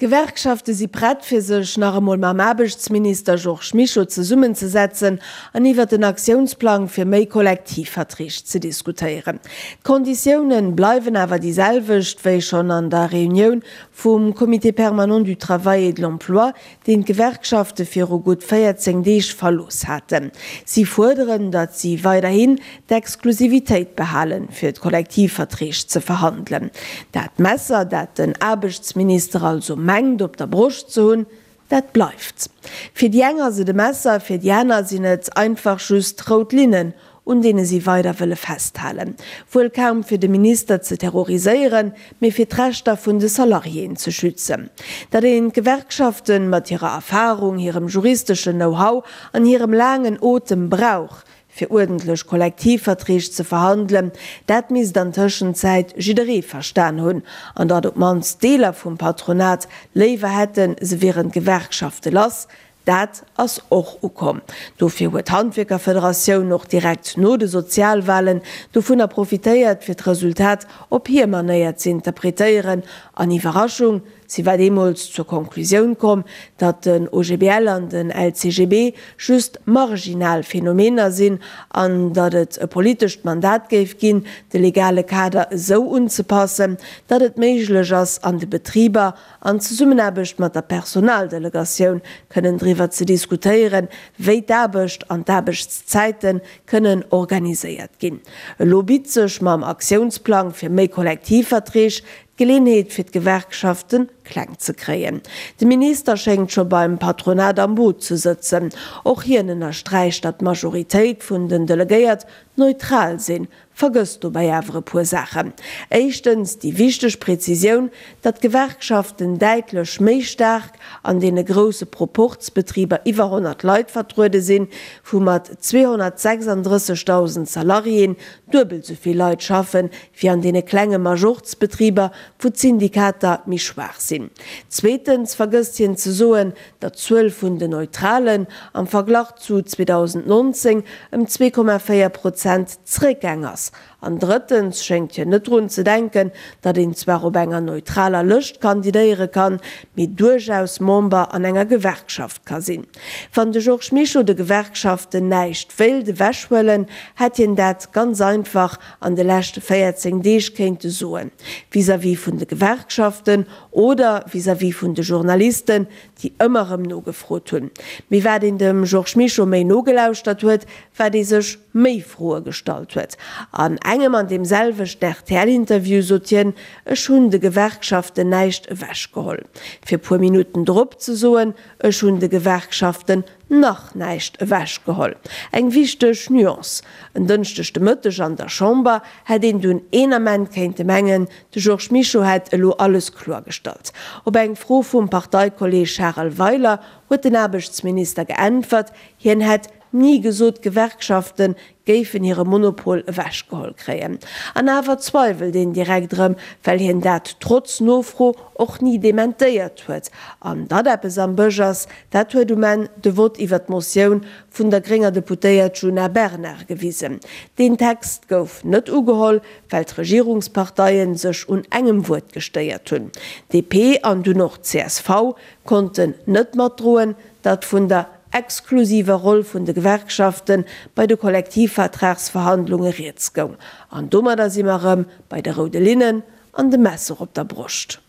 D'Gewerkschafte si prett, fir sech nach emol mam Aarbechtsminister Georges Mischo zesummenzesetzen an iwwert den Aktiounsplang fir méi Kollektivverträg ze diskutéieren. D'Konditioune bleiwen awer déi selwecht wéi schonn an der Reunioun vum Comité permanent du travail et de l'emploi, deen d'Gewerkschafte viru gutt 14 Deeg verlooss haten. Si fuerderen, datt si weiderhin d'Exklusivitéit behalen, fir d'Kollektivverträg ze verhandelen. Dat Messer, dat den Aarbechtsminister also mengt op der Broscht ze hunn, dat bleift. Fir déi eng ass et e Messer, fir déi aner sinn et einfach just rout Linnen, un deene si weider wëlle festhalen. Wuel kaum fir de Minister ze terroriséieren, mee fir d'Rechter vun de Salariéen ze schützen. Datt een d'Gewerkschaften mat hirer Erfarung, hirem juristeschen Know-how an hirem laangen Otem brauch, fir uerdentlech Kollektivverträg ze verhandelen, dat misst an Tëschenzäit jidderee verstan hunn. An datt op d'mannst Deeler vum Patronat léiwer hätten, se wieren d'Gewerkschafte lass, Dat ass och ukomm. Dofir huet d'Handwierkerfederatioun och direkt no de Sozialwahlen dovunner profitéiert, fir d'Resultat op hir Manéier ze interpretéieren. An Iwwerraschung, si war deemools zur Konklusioun komm, datt den OGBL an den LCGB just marginal Phänomener sinn an datt et e politescht Mandat géif ginn, de legale Kader esou unzepassen, datt et méiglech ass, an de Betriber an Zesummenaarbecht mat der Personaldelegatioun kënnen driwwer ze diskutéieren, wéi d'Aarbecht an d'Aarbechtszäite kënnen organiséiert ginn. Elo bitt sech mam Aktiounsplang fir méi Kollektivverträg d'Geleenheet fir d'Gewerkschafte kleng ze kréien. De Minister schéngt scho beim Patronat am Boot ze sëtzen. Och hien ënnersträicht, datt d'Majoritéit vun den Delegéiert neutral sinn, Vergësst dobäi awer e puer Saachen. Éischtens déi wichteg Präzisioun, datt d'Gewerkschaften däitlech méi staark an deene grousse Proporzbetriber iwwer 100 Leit vertruede sinn, wou mat 236.000 Salariéen duebel sou vill Leit schaffen, wéi an deene klenge Majorzbetriber, wou d'Syndikater méi schwaach sinn. Zweetens vergësst hien ze soen, datt d'Zuel vun den Neutralen am Verglach zu 2019 ëm 2,4 Prozent zeréckgaang ass. An drëttens schéngt hien net drun ze denken, datt een zwar op enger neutraler Lëscht kandidéiere kann, mee duerchaus Member an enger Gewerkschaft ka sinn. Wann de Georges Mischo de Gewerkschaften näischt wéilt ewechhuelen, hätt hien dat ganz einfach an de leschte 14 Deeg kéinte soen, vis-à-vis vun de Gewerkschaften Oder vis-à-vis vun de Journalisten, déi ëmmer erëm nogefrot hunn. Mee wat een dem Georges Mischo méi nogelauschtert huet, wat ee sech méi Froe gestallt huet. An engem an deem selwechten RTL-Interview sot hien, Ech hunn de Gewerkschaften näischt ewechgeholl. Fir puer Minutten drop ze soen, Ech hunn de Gewerkschaften nach näischt ewechgeholl. Eng wichteg Nuance. En Dënschdeg de Mëtteg an der Chamber hätt een dunn een Ament kéinte mengen, de Georges Mischo hätt elo alles kloergestallt. Op eng Fro vum Parteikolleeg Charel Weiler huet den Aarbechtsminister geäntwert, hien hätt ni gesot, d'Gewerkschafte géifen hire Monopol ewechgeholl kréien. An awer zweiwelt een direkt erëm, well hien dat trotz Nofro och ni dementéiert huet. An datt eppes am Bësch ass, dat huet um Enn de Vott iwwer d'Motioun vun der grénger Deputéiert Djuna Bernard gewisen. Deen Text gouf net ugeholl, well d'Regierungsparteie sech un engem Wuert gestéiert hunn. DP an dunn och csv konnten net matdroen, datt vun der exklusiver Roll vun de Gewerkschafte bei de Kollektivvertragsverhandlunge rieds goung. An domadder si mer erëm bei de roude Linnen an dem Messer op der Broscht.